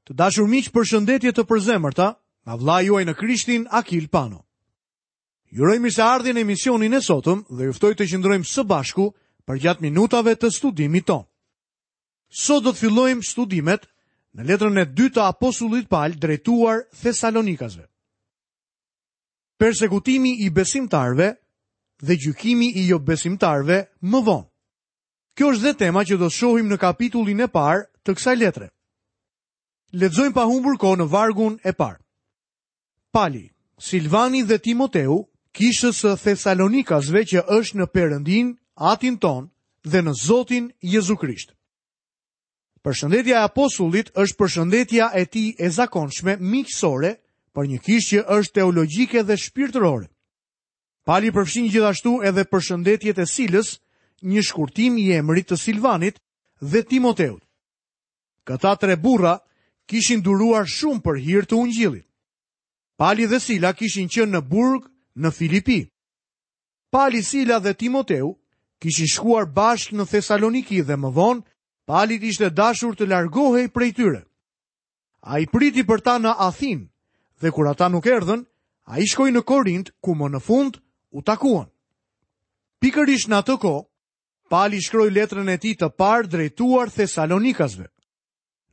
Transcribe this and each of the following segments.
Të dashur miq, përshëndetje të përzemërta nga vëllai juaj në Krishtin Akil Pano. Ju uroj mirëseardhje në emisionin e sotëm dhe ju ftoj të qëndrojmë së bashku përgjatë minutave të studimit tonë. Sot do të fillojmë studimet në letrën e dytë të apostullit Pal drejtuar Thesalonikasve. Persekutimi i besimtarëve dhe gjykimi i jobesimtarëve më vonë. Kjo është dhe tema që do të shohim në kapitullin e parë të kësaj letre. Lexojmë pa humbur kohë në vargun e parë. Pali, Silvani dhe Timoteu, kishës së Thesalonikasve që është në Perëndinë, Atin tonë dhe në Zotin Jezu Krisht. Përshëndetja e apostullit është përshëndetja e tij e zakonshme miqësore për një kishë që është teologjike dhe shpirtërore. Pali përfshin gjithashtu edhe përshëndetjet e Silës, një shkurtim i emrit të Silvanit dhe Timoteut. Këta tre burra kishin duruar shumë për hir të ungjillit. Pali dhe Sila kishin qenë në burg në Filipi. Pali, Sila dhe Timoteu kishin shkuar bashkë në Thesaloniki dhe më vonë Palit ishte dashur të largohej prej tyre. Ai priti për ta në Athinë dhe kur ata nuk erdhën, ai shkoi në Korint ku më në fund u takuan. Pikërisht në atë kohë, Pali shkroi letrën e tij të parë drejtuar Thesalonikasve.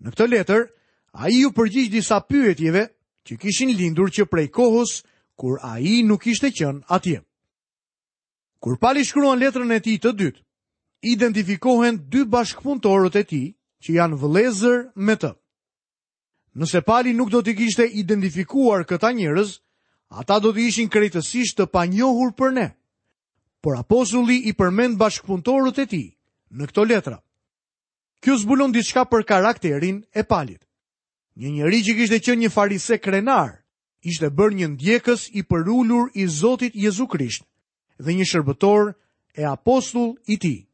Në këtë letër, ai iu përgjigj disa pyetjeve që kishin lindur që prej kohës kur ai nuk kishte qenë atje. Kur Pali shkruan letrën e tij të dytë, identifikohen dy bashkëpunëtorët e tij që janë vëllezër me të. Nëse Pali nuk do t'i kishte identifikuar këta njerëz, ata do të ishin krejtësisht të panjohur për ne. Por apostulli i përmend bashkëpunëtorët e tij në këto letra. Kjo zbulon diçka për karakterin e Palit. Një njeri që kishte qenë një farise krenar, ishte bërë një ndjekës i përulur i Zotit Jezu Krisht dhe një shërbëtor e apostull i tij.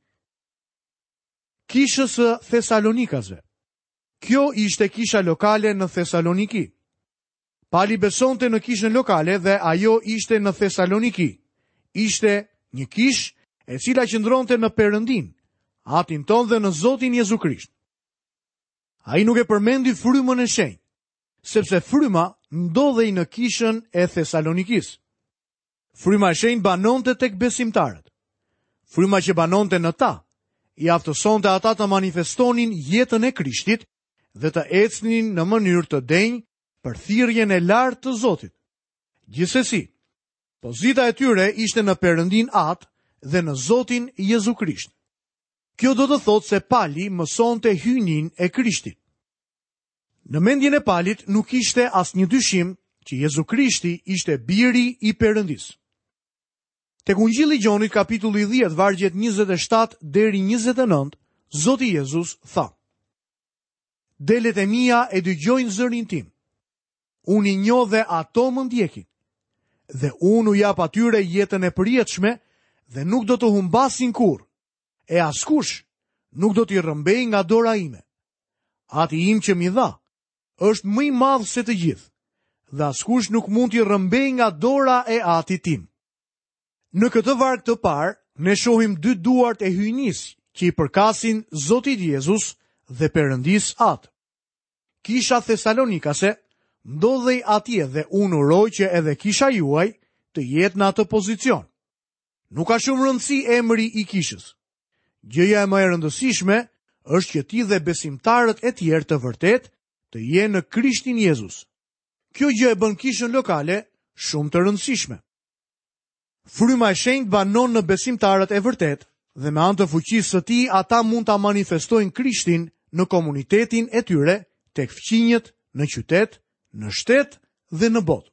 Kishës së Thesalonikasve. Kjo ishte kisha lokale në Thesaloniki. Pali besonte në kishën lokale dhe ajo ishte në Thesaloniki. Ishte një kishë e cila qëndronte në Perëndinë, Atin tonë dhe në Zotin Jezu Krisht. Ai nuk e përmendi frymën e shenjtë, sepse fryma ndodhej në kishën e Thesalonikisë. Fryma e shenjtë banonte tek besimtarët. Fryma që banonte në ta, i aftësonte ata të manifestonin jetën e Krishtit dhe të ecnin në mënyrë të denjë për thirrjen e lartë të Zotit. Gjithsesi, pozita e tyre ishte në Perëndinë Atë dhe në Zotin Jezu Krisht. Kjo do të thotë se Pali mësonte hyjninë e Krishtit. Në mendjen e Palit nuk ishte asnjë dyshim që Jezu Krishti ishte biri i Perëndisë. Tek Ungjilli i Gjonit kapitulli 10 vargjet 27 deri 29, Zoti Jezus tha: Delet e mia e dëgjojnë zërin tim. Unë i njoh dhe ato më ndjekin. Dhe unë u jap atyre jetën e përjetshme dhe nuk do të humbasin kurrë. E askush nuk do t'i rrëmbejë nga dora ime. Ati im që m'i dha, është më i madh se të gjithë, dhe askush nuk mund t'i rrëmbejë nga dora e atit tim. Në këtë varg të parë, ne shohim dy duart e hyjnisë që i përkasin Zotit Jezus dhe Perëndisë Atë. Kisha Thesalonikase ndodhej atje dhe unë uroj që edhe kisha juaj të jetë në atë pozicion. Nuk ka shumë rëndësi emri i kishës. Gjëja e më e rëndësishme është që ti dhe besimtarët e tjerë të vërtetë të jenë në Krishtin Jezus. Kjo gjë e bën kishën lokale shumë të rëndësishme. Fryma e Shenjtë banon në besimtarët e vërtetë dhe me anë të fuqisë së tij ata mund ta manifestojnë Krishtin në komunitetin e tyre, tek fqinjët, në qytet, në shtet dhe në botë.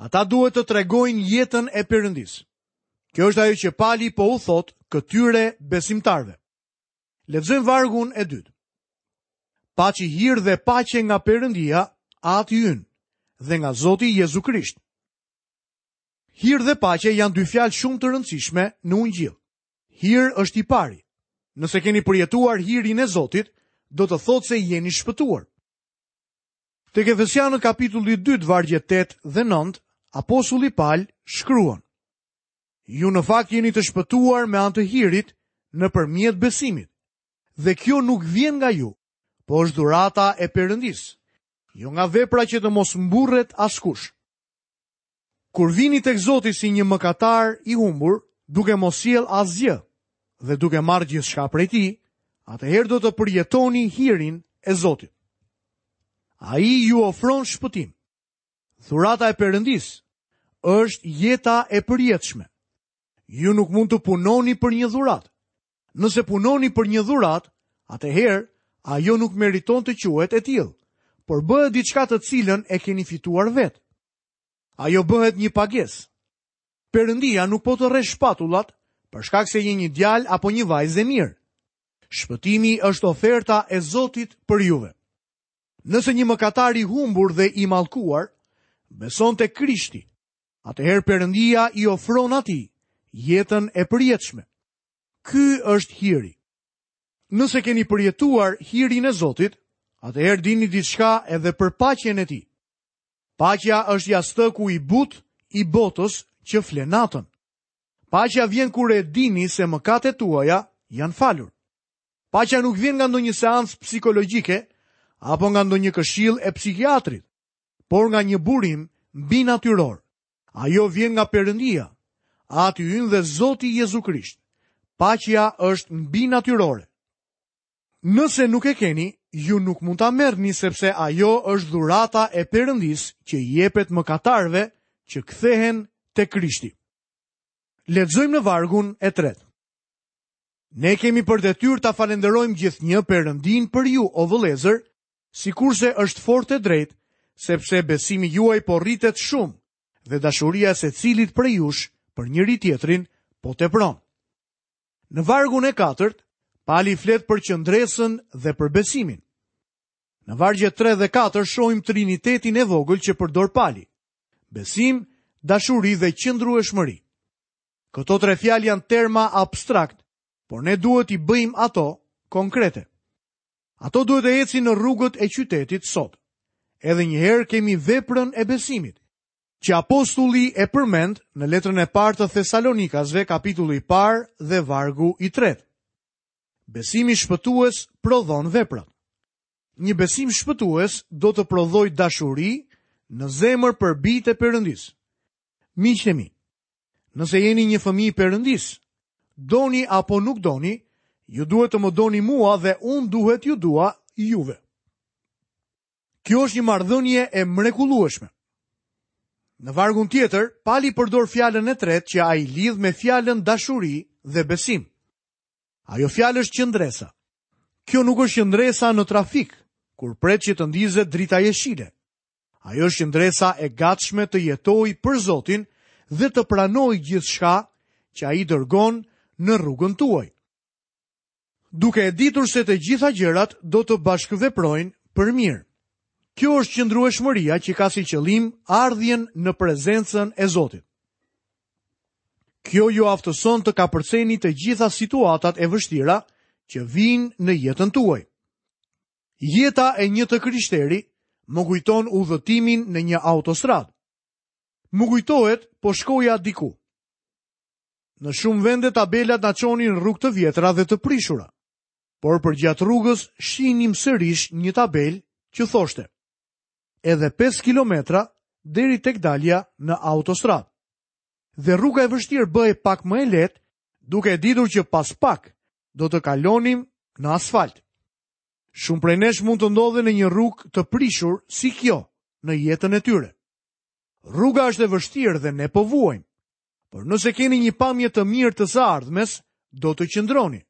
Ata duhet të tregojnë jetën e Perëndisë. Kjo është ajo që Pali po u thotë këtyre besimtarëve. Lexojmë vargun e dytë. Paçi hir dhe paqe nga Perëndia, Ati ynë, dhe nga Zoti Jezu Krisht. Hir dhe paqe janë dy fjalë shumë të rëndësishme në Ungjill. Hir është i pari. Nëse keni përjetuar hirin e Zotit, do të thotë se jeni shpëtuar. Tek Efesianët kapitulli 2 vargjet 8 dhe 9, apostulli Pal shkruan: Ju në fakt jeni të shpëtuar me anë të hirit nëpërmjet besimit. Dhe kjo nuk vjen nga ju, po është dhurata e Perëndisë, jo nga vepra që të mos mburret askush. Kur vini tek Zoti si një mëkatar i humbur, duke mos sjellë asgjë dhe duke marrë gjithçka prej tij, atëherë do të përjetoni hirin e Zotit. Ai ju ofron shpëtim. Dhurata e Perëndisë është jeta e përjetshme. Ju nuk mund të punoni për një dhuratë. Nëse punoni për një dhuratë, atëherë ajo nuk meriton të quhet e tillë, por bëhet diçka të cilën e keni fituar vetë. Ajo bëhet një pagesë. Perëndia nuk po të rreh shpatullat për shkak se je një djalë apo një vajzë e mirë. Shpëtimi është oferta e Zotit për juve. Nëse një mëkatar i humbur dhe i mallkuar beson te Krishti, atëherë Perëndia i ofron atij jetën e përjetshme. Ky është hiri. Nëse keni përjetuar hirin e Zotit, atëherë dini diçka edhe për paqen e tij. Paqja është jastëku i butë i botës që fle natën. Paqja vjen kur e dini se mëkatet tuaja janë falur. Paqja nuk vjen nga ndonjë seancë psikologjike apo nga ndonjë këshillë e psikiatrit, por nga një burim mbinatyror. Ajo vjen nga Perëndia, Ati ynë dhe Zoti Jezu Krisht. Paqja është mbinatyrore. Nëse nuk e keni, ju nuk mund ta merrni sepse ajo është dhurata e Perëndisë që i jepet mëkatarëve që kthehen te Krishti. Lexojmë në vargun e tretë. Ne kemi për detyrë ta falënderojmë gjithnjë Perëndinë për ju, o vëllezër, sikurse është fort e drejtë, sepse besimi juaj po rritet shumë dhe dashuria e secilit prej jush për njëri-tjetrin po tepron. Në vargun e katërt, Pali flet për qëndresën dhe për besimin. Në vargjet 3 dhe 4 shohim trinitetin e vogël që përdor Pali. Besim, dashuri dhe qëndrueshmëri. Këto tre fjalë janë terma abstrakt, por ne duhet t'i bëjmë ato konkrete. Ato duhet të ecin në rrugët e qytetit sot. Edhe një herë kemi veprën e besimit. që apostulli e përmend në letrën e parë të Thesalonikasve, kapitulli i parë dhe vargu i tretë. Besimi shpëtues prodhon veprat. Një besim shpëtues do të prodhojë dashuri në zemër për bijtë e Perëndisë. Miqtë e mi, nëse jeni një fëmijë i Perëndisë, doni apo nuk doni, ju duhet të më doni mua dhe unë duhet t'ju dua juve. Kjo është një marrëdhënie e mrekullueshme. Në vargun tjetër, Pali përdor fjalën e tretë që ai lidh me fjalën dashuri dhe besim. Ajo fjalë është qëndresa. Kjo nuk është qëndresa në trafik, kur pret që të ndizet drita jeshile. Ajo është qëndresa e gatshme të jetojë për Zotin dhe të pranojë gjithçka që ai dërgon në rrugën tuaj. Duke e ditur se të gjitha gjërat do të bashkëveprojnë për mirë. Kjo është qëndrueshmëria që ka si qëllim ardhjen në prezencën e Zotit. Kjo ju aftëson të kapërceni të gjitha situatat e vështira që vijnë në jetën tuaj. Jeta e një të krishteri më kujton udhëtimin në një autostradë. Më kujtohet, po shkoja diku. Në shumë vende tabelat na çonin në rrugë të vjetra dhe të prishura. Por përgjatë rrugës shihnim sërish një tabelë që thoshte: Edhe 5 kilometra deri tek dalja në autostradë. Dhe rruga e vështirë bëhej pak më e lehtë, duke e ditur që pas pak do të kalonim në asfalt. Shumë prej nesh mund të ndodhen në një rrugë të prishur si kjo në jetën e tyre. Rruga është e vështirë dhe ne po vuajmë. Por nëse keni një pamje të mirë të së ardhmes, do të qëndroni.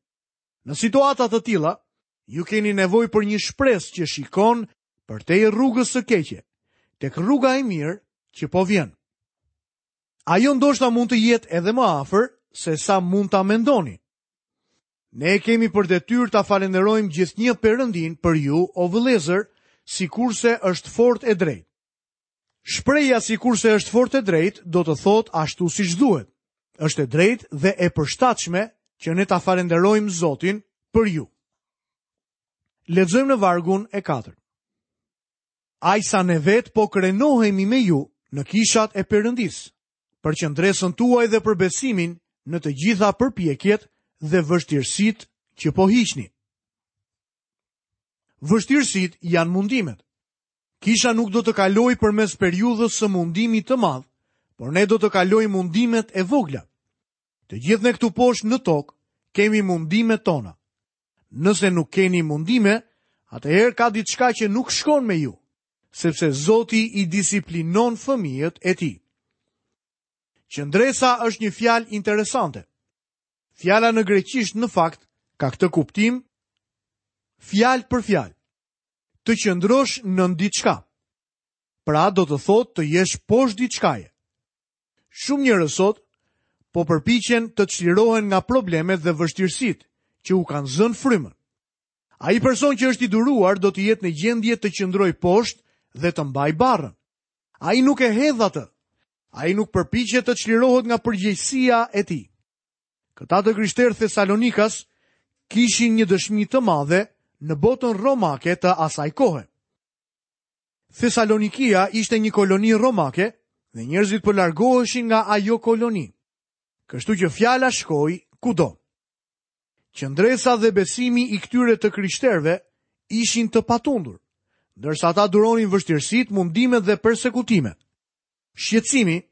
Në situata të tilla, ju keni nevojë për një shpresë që shikon përtej rrugës së keqe, tek rruga e mirë që po vjen. Ajo ndoshta mund të jetë edhe më afër se sa mund ta mendoni. Ne e kemi për detyrë ta falënderojmë gjithnjë Perëndinë për ju, o vëllezër, sikurse është fort e drejtë. Shprehja sikurse është fort e drejtë do të thotë ashtu siç duhet. Është e drejtë dhe e përshtatshme që ne ta falënderojmë Zotin për ju. Lexojmë në vargun e katërt. Aq sa ne vetë po krenohemi me ju në kishat e Perëndisë, për qëndresën tuaj dhe për besimin në të gjitha përpjekjet dhe vështirësitë që po hiqni. Vështirësitë janë mundimet. Kisha nuk do të kalojë përmes periudhës së mundimit të madh, por ne do të kalojmë mundimet e vogla. Të gjithë ne këtu poshtë në tokë kemi mundimet tona. Nëse nuk keni mundime, atëherë ka diçka që nuk shkon me ju, sepse Zoti i disiplinon fëmijët e tij. Qëndresa është një fjalë interesante. Fjala në greqisht në fakt ka këtë kuptim fjalë për fjalë. Të qëndrosh nën diçka. Pra do të thotë të jesh poshtë diçkaje. Shumë njerëz sot po përpiqen të çlirohen nga problemet dhe vështirësitë që u kanë zënë frymën. Ai person që është i duruar do të jetë në gjendje të qëndrojë poshtë dhe të mbajë barrën. Ai nuk e hedh atë. Ai nuk përpiqet të çlirohet nga përgjegjësia e tij. Këta të krishterë thesalonikas kishin një dëshmi të madhe në botën romake të asaj kohe. Thesalonikia ishte një koloni romake dhe njerëzit po largoheshin nga ajo koloni. Kështu që fjala shkoi kudo. Qëndresa dhe besimi i këtyre të krishterëve ishin të patundur, ndërsa ata duronin vështirësitë, mundimet dhe persekutimet. Shqetësimi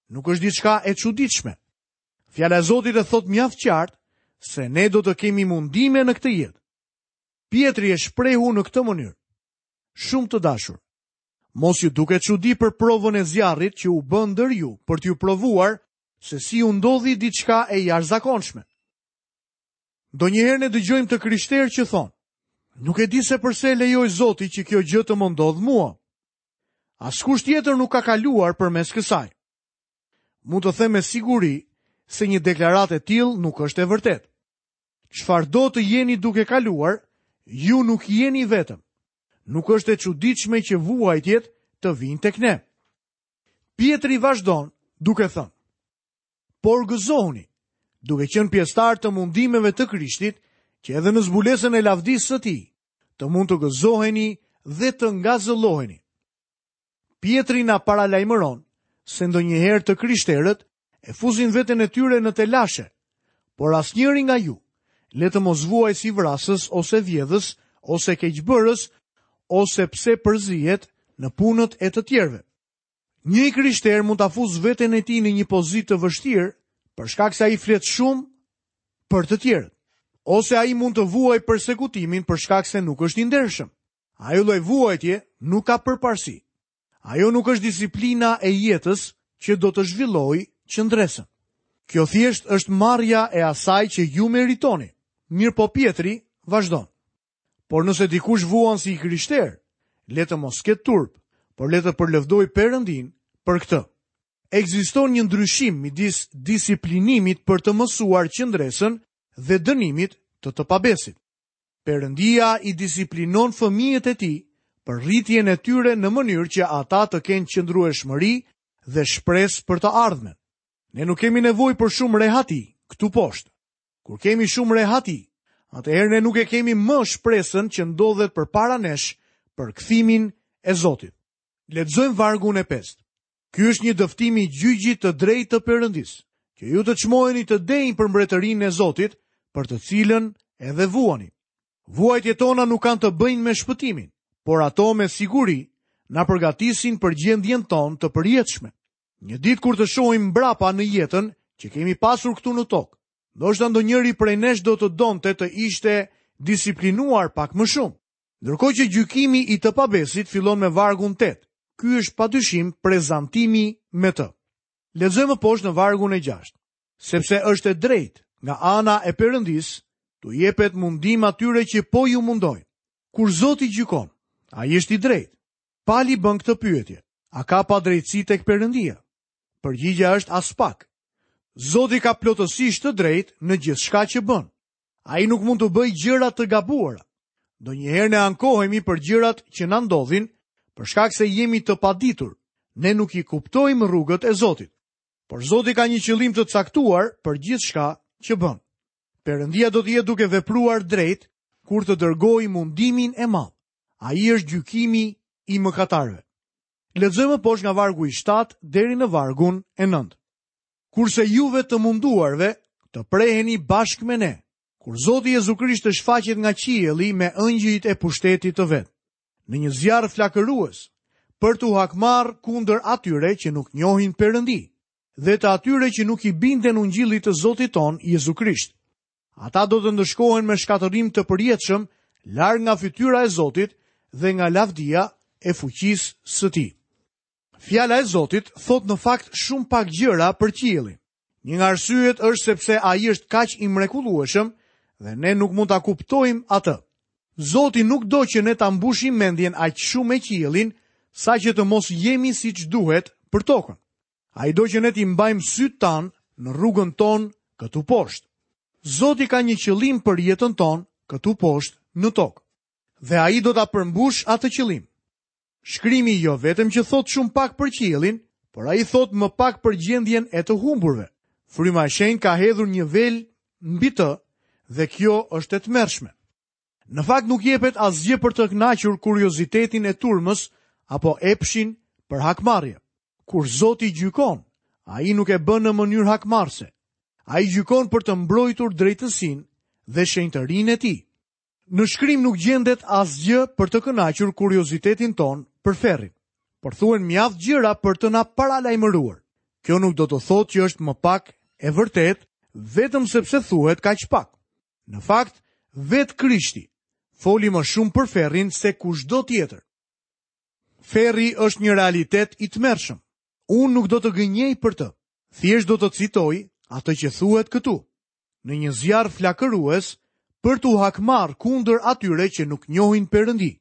nuk është diçka e çuditshme. Fjala e Zotit e thotë mjaft qartë se ne do të kemi mundime në këtë jetë. Pjetri e shprehu në këtë mënyrë. Shumë të dashur, mos ju duket çudi për provën e zjarrit që u bë ndër ju për t'ju provuar se si ju ndodhi diçka e jashtëzakonshme. Ndonjëherë ne dëgjojmë të krishterë që thonë, nuk e di se përse lejoi Zoti që kjo gjë të më ndodhë mua. Askush tjetër nuk ka kaluar përmes kësaj. Mund të them me siguri se një deklaratë e tillë nuk është e vërtetë. Çfarëdo të jeni duke kaluar, ju nuk jeni vetëm. Nuk është e çuditshme që vuajtjet të vijnë tek ne. Pjetri vazhdon duke thënë: Por gëzohuni, duke qenë pjesëtarë të mundimeve të Krishtit, që edhe në zbulesën e lavdisë së tij, të mund të gëzoheni dhe të ngazëlloheni. Pjetri na paralajmëron se ndonjëherë të krishterët e fusin veten e tyre në telashe, por asnjëri nga ju le të mos vuajë si vrasës ose vjedhës ose keqbërës ose pse përzihet në punët e të tjerëve. Një i krishterë mund ta fusë veten e tij në një pozitë të vështirë për shkak se ai flet shumë për të tjerët. Ose ai mund të vuajë persekutimin për shkak se nuk është i ndershëm. Ajo lloj vuajtje nuk ka përparësi. Ajo nuk është disiplina e jetës që do të zhvillojë qëndresën. Kjo thjesht është marrja e asaj që ju meritoni. Mirëpo Pjetri vazhdon. Por nëse dikush vuan si i krishterë, le të mos ketë turp, por le të përlëvdojë Perëndinë për këtë. Ekziston një ndryshim midis disiplinimit për të mësuar qëndresën dhe dënimit të të pabesit. Perëndia i disiplinon fëmijët e tij për rritjen e tyre në mënyrë që ata të kenë qëndrueshmëri dhe shpresë për të ardhmen. Ne nuk kemi nevojë për shumë rehati këtu poshtë. Kur kemi shumë rehati, atëherë ne nuk e kemi më shpresën që ndodhet përpara nesh për kthimin e Zotit. Lexojmë vargun e pestë. Ky është një dëftim i gjyqit të drejtë të Perëndisë, që ju të çmoheni të denjë për mbretërinë e Zotit, për të cilën edhe vuani. Vuajtjet tona nuk kanë të bëjnë me shpëtimin, por ato me siguri na përgatisin për gjendjen tonë të përjetshme. Një ditë kur të shohim mbrapa në jetën që kemi pasur këtu në tokë, ndoshta ndonjëri prej nesh do të donte të ishte disiplinuar pak më shumë. Ndërkohë që gjykimi i të pabesit fillon me vargun 8. Ky është padyshim prezantimi me të. Lexojmë më poshtë në vargun e 6. Sepse është e drejtë nga ana e Perëndisë t'u jepet mundim atyre që po ju mundojnë. Kur Zoti gjykon, ai është i drejtë. Pali bën këtë pyetje: A ka padrejtësi tek Perëndia? Përgjigja është aspak. Zoti ka plotësisht të drejtë në gjithçka që bën. Ai nuk mund të bëjë gjëra të gabuara. Ndonjëherë ne ankohemi për gjërat që na ndodhin, për shkak se jemi të paditur. Ne nuk i kuptojmë rrugët e Zotit. Por Zoti ka një qëllim të caktuar për gjithçka që bën. Perëndia do të jetë duke vepruar drejt kur të dërgojë mundimin e madh. Ai është gjykimi i mëkatarëve. Lexojmë poshtë nga vargu i 7 deri në vargun e 9. Kurse juve të munduarve, të preheni bashkë me ne. kur Zoti Jezu Krisht të shfaqet nga qielli me ëngjëjt e pushtetit të vet, në një zjarr flakërues, për t'u hakmarrë kundër atyre që nuk njohin Perëndi dhe të atyre që nuk i binden ungjillit të Zotit tonë Jezu Krisht. Ata do të ndëshkohen me shkatërrim të përjetshëm larg nga fytyra e Zotit dhe nga lavdia e fuqisë së tij. Fjala e Zotit thotë në fakt shumë pak gjëra për qiellin. Një nga arsyet është sepse ai është kaq i mrekullueshëm dhe ne nuk mund ta kuptojmë atë. Zoti nuk do që ne ta mbushim mendjen aq shumë me qiellin, saqë të mos jemi siç duhet për tokën. Ai do që ne t'i mbajmë sytë tanë në rrugën tonë këtu poshtë. Zoti ka një qëllim për jetën tonë këtu poshtë në tokë. Dhe ai do ta përmbushë atë qëllim. Shkrimi jo vetëm që thotë shumë pak për qiellin, por ai thotë më pak për gjendjen e të humburve. Fryma e Shenjtë ka hedhur një vel mbi të dhe kjo është e tmerrshme. Në fakt nuk jepet asgjë për të kënaqur kuriozitetin e turmës apo epshin për hakmarrje. Kur Zoti gjykon, ai nuk e bën në mënyrë hakmarrëse. Ai gjykon për të mbrojtur drejtësinë dhe shenjtërinë e tij. Në shkrim nuk gjendet asgjë për të kënaqur kuriozitetin tonë për ferrin, por thuhen mjaft gjëra për të na paralajmëruar. Kjo nuk do të thotë që është më pak e vërtetë vetëm sepse thuhet kaq pak. Në fakt, vetë Krishti foli më shumë për ferrin se kushdo tjetër. Ferri është një realitet i tmerrshëm. Unë nuk do të gënjej për të. Thjesht do të citoj atë që thuhet këtu. Në një zjarr flakërues për t'u hakmarrë kundër atyre që nuk njohin Perëndi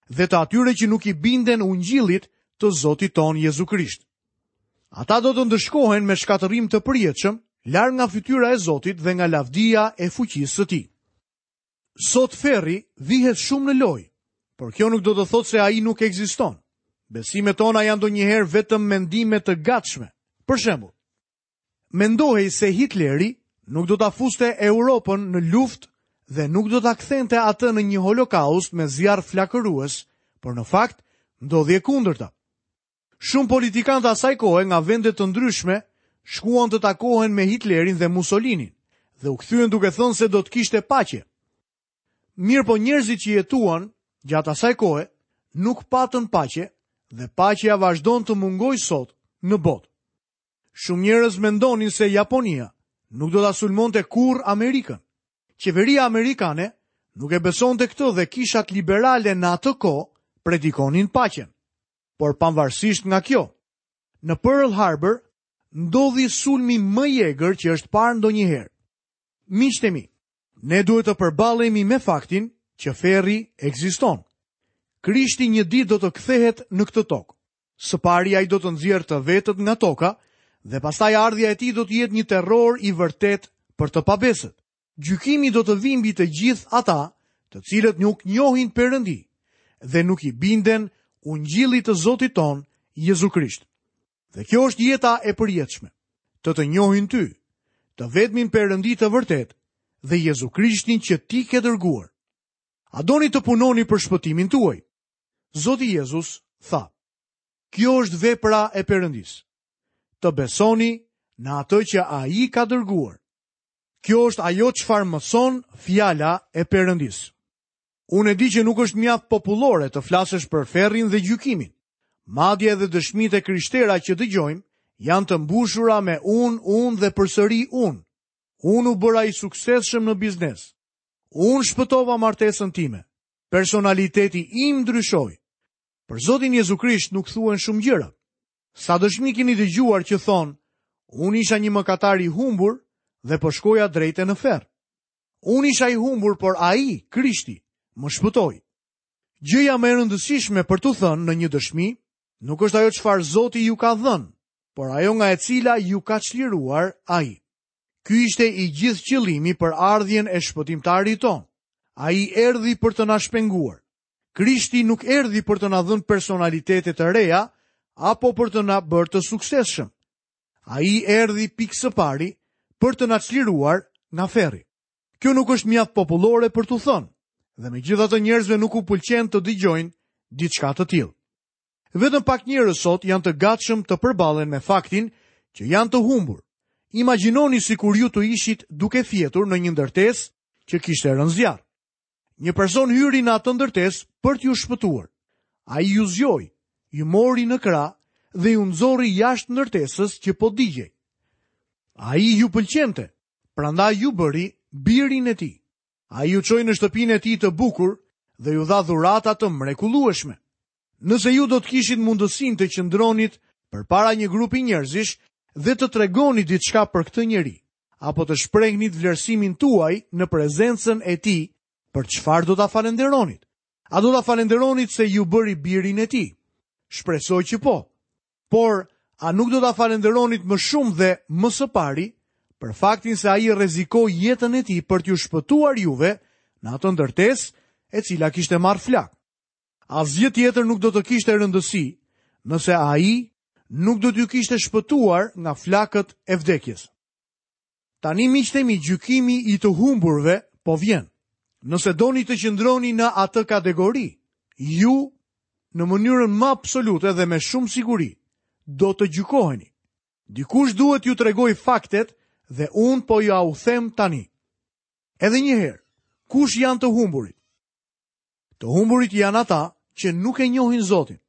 dhe të atyre që nuk i binden ungjillit të Zotit tonë Jezu Krisht. Ata do të ndëshkohen me shkatërrim të përjetshëm, larg nga fytyra e Zotit dhe nga lavdia e fuqisë së tij. Sot ferri vihet shumë në lojë, por kjo nuk do të thotë se ai nuk ekziston. Besimet tona janë ndonjëherë vetëm mendime të gatshme. Për shembull, mendohej se Hitleri nuk do ta fuste Europën në luftë dhe nuk do ta kthente atë në një holokaust me zjarr flakërues, por në fakt ndodhi e kundërta. Shumë politikanë të asaj kohe nga vende të ndryshme shkuan të takohen me Hitlerin dhe Mussolinin dhe u kthyen duke thënë se do të kishte paqe. Mirëpo njerëzit që jetuan gjatë asaj kohe nuk patën paqe dhe paqja vazhdon të mungojë sot në botë. Shumë njerëz mendonin se Japonia nuk do ta sulmonte kurrë Amerikën. Qeveria amerikane nuk e besonte këtë dhe kishat liberale në atë kohë predikonin paqen. Por pavarësisht nga kjo, në Pearl Harbor ndodhi sulmi më i egër që është parë ndonjëherë. Miqtë e mi, ne duhet të përballemi me faktin që ferri ekziston. Krishti një ditë do të kthehet në këtë tokë. Së pari ai do të nxjerrë të vetët nga toka dhe pastaj ardhja e tij do të jetë një terror i vërtetë për të pabesët. Gjykimi do të vijë mbi të gjithë ata, të cilët nuk njohin Perëndi dhe nuk i binden ungjillit të Zotit tonë Jezu Krisht. Dhe kjo është jeta e përjetshme, të të njohin ty, të vetmin Perëndi të vërtetë dhe Jezu Krishtin që ti ke dërguar. A doni të punoni për shpëtimin tuaj? Zoti Jezus tha: Kjo është vepra e Perëndisë. Të besoni në atë që ai ka dërguar. Kjo është ajo çfarë mëson fjala e Perëndisë. Unë e di që nuk është mjaft popullore të flasësh për ferrin dhe gjykimin. Madje edhe dëshmitë e krishtera që dëgjojmë janë të mbushura me unë, unë dhe përsëri unë. Unë u bëra i suksesshëm në biznes. Unë shpëtova martesën time. Personaliteti im ndryshoi. Për Zotin Jezu Krisht nuk thuhen shumë gjëra. Sa dëshmi keni dëgjuar që thonë, unë isha një mëkatar i humbur dhe po shkoja drejt e në ferr. Unë isha i humbur, por ai, Krishti, më shpëtoi. Gjëja më e rëndësishme për t'u thënë në një dëshmi, nuk është ajo çfarë Zoti ju ka dhënë, por ajo nga e cila ju ka çliruar ai. Ky ishte i gjithë qëllimi për ardhjen e shpëtimtarit tonë. Ai erdhi për të na shpenguar. Krishti nuk erdhi për të na dhënë personalitete të reja apo për të na bërë të suksesshëm. Ai erdhi pikë së pari për të na çliruar nga ferri. Kjo nuk është mjaft popullore për t'u thënë, dhe megjithatë njerëzve nuk u pëlqen të dëgjojnë diçka të tillë. Vetëm pak njerëz sot janë të gatshëm të përballen me faktin që janë të humbur. Imagjinoni sikur ju të ishit duke fjetur në një ndërtesë. që kishte rënë zjarr. Një person hyri në atë ndërtesë për t'ju shpëtuar. Ai ju zgjoi, ju mori në krah dhe ju nxori jashtë ndërtesës që po digjej. Ai ju pëlqente, prandaj ju bëri birin e tij. Ai ju çoi në shtëpinë e tij të bukur dhe ju dha dhurata të mrekullueshme. Nëse ju do të kishit mundësinë të qëndronit përpara një grupi njerëzish dhe të tregonit diçka për këtë njeri, apo të shprehnit vlerësimin tuaj në prezencën e tij, për çfarë do ta falënderonit? A do ta falënderonit se ju bëri birin e tij? Shpresoj që po. Por, a nuk do ta falënderonit më shumë dhe më së pari për faktin se ai rrezikoi jetën e tij për t'ju shpëtuar juve në atë ndërtesë e cila kishte marrë flakë? Asgjë tjetër nuk do të kishte rëndësi nëse ai nuk do t'ju kishte shpëtuar nga flakët e vdekjes. Tani miqtë e mi, gjykimi i të humburve po vjen. Nëse doni të qëndroni në atë kategori, ju në mënyrën më absolute dhe me shumë siguri do të gjykoheni. Dikush duhet t'ju tregojë faktet dhe unë po jua u them tani. Edhe një herë, kush janë të humburit? Të humburit janë ata që nuk e njohin Zotin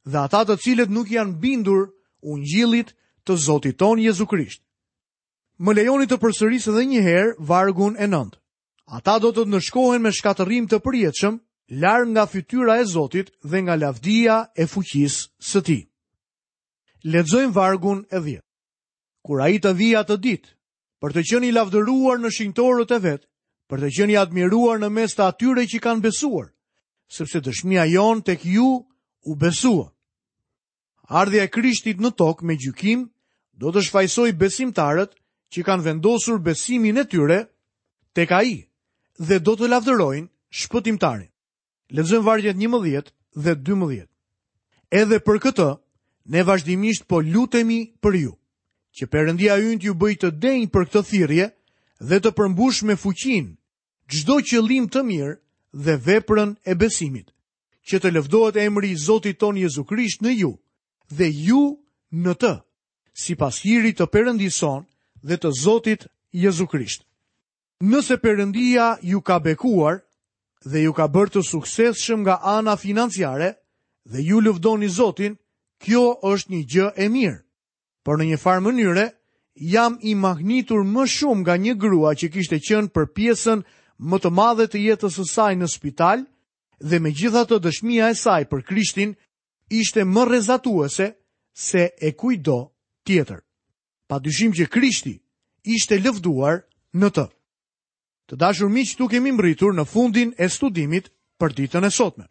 dhe ata të cilët nuk janë bindur ungjillit të Zotit tonë Jezu Krisht. Më lejoni të përsëris edhe një herë vargun e 9. Ata do të ndëshkohen me shkatërrim të përjetshëm, larg nga fytyra e Zotit dhe nga lavdia e fuqisë së tij. Lexojmë vargun e 10. Kur ai të vijë atë ditë, për të qenë i lavdëruar në shenjtorët e vet, për të qenë i admiruar në mes të atyre që kanë besuar, sepse dëshmia jonë tek ju u besua. Ardhja e Krishtit në tokë me gjykim do të shfajësojë besimtarët që kanë vendosur besimin e tyre tek ai dhe do të lavdërojnë shpëtimtarin. Lexojmë vargjet 11 dhe 12. Edhe për këtë, ne vazhdimisht po lutemi për ju, që Perëndia ynë t'ju bëjë të denjë për këtë thirrje dhe të përmbushë me fuqinë çdo qëllim të mirë dhe veprën e besimit, që të lëvdohet emri i Zotit tonë Jezu Krisht në ju dhe ju në të, sipas hirit të Perëndisë sonë dhe të Zotit Jezu Krisht. Nëse Perëndia ju ka bekuar dhe ju ka bërë të suksesshëm nga ana financiare dhe ju lëvdoni Zotin, kjo është një gjë e mirë. Por në një farë mënyre, jam i mahnitur më shumë nga një grua që kishte qenë për pjesën më të madhe të jetës së saj në spital dhe megjithatë dëshmia e saj për Krishtin ishte më rrezatuese se e kujtdo tjetër. Pa dyshim që Krishti ishte lëvduar në të. Të dashur miq, këtu kemi mbërritur në fundin e studimit për ditën e sotme.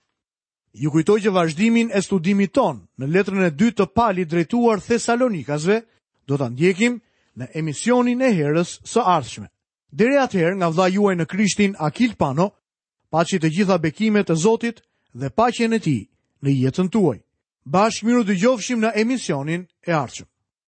Ju kujtoj që vazhdimin e studimit tonë në letrën e dytë të Palit drejtuar Thesalonikasve do ta ndjekim në emisionin e herës së ardhshme. Deri atëherë, nga vëllai juaj në Krishtin Akil Pano, paçi të gjitha bekimet e Zotit dhe paqen e tij në jetën tuaj. Bashkë mirudëgjofshim në emisionin e ardhshëm.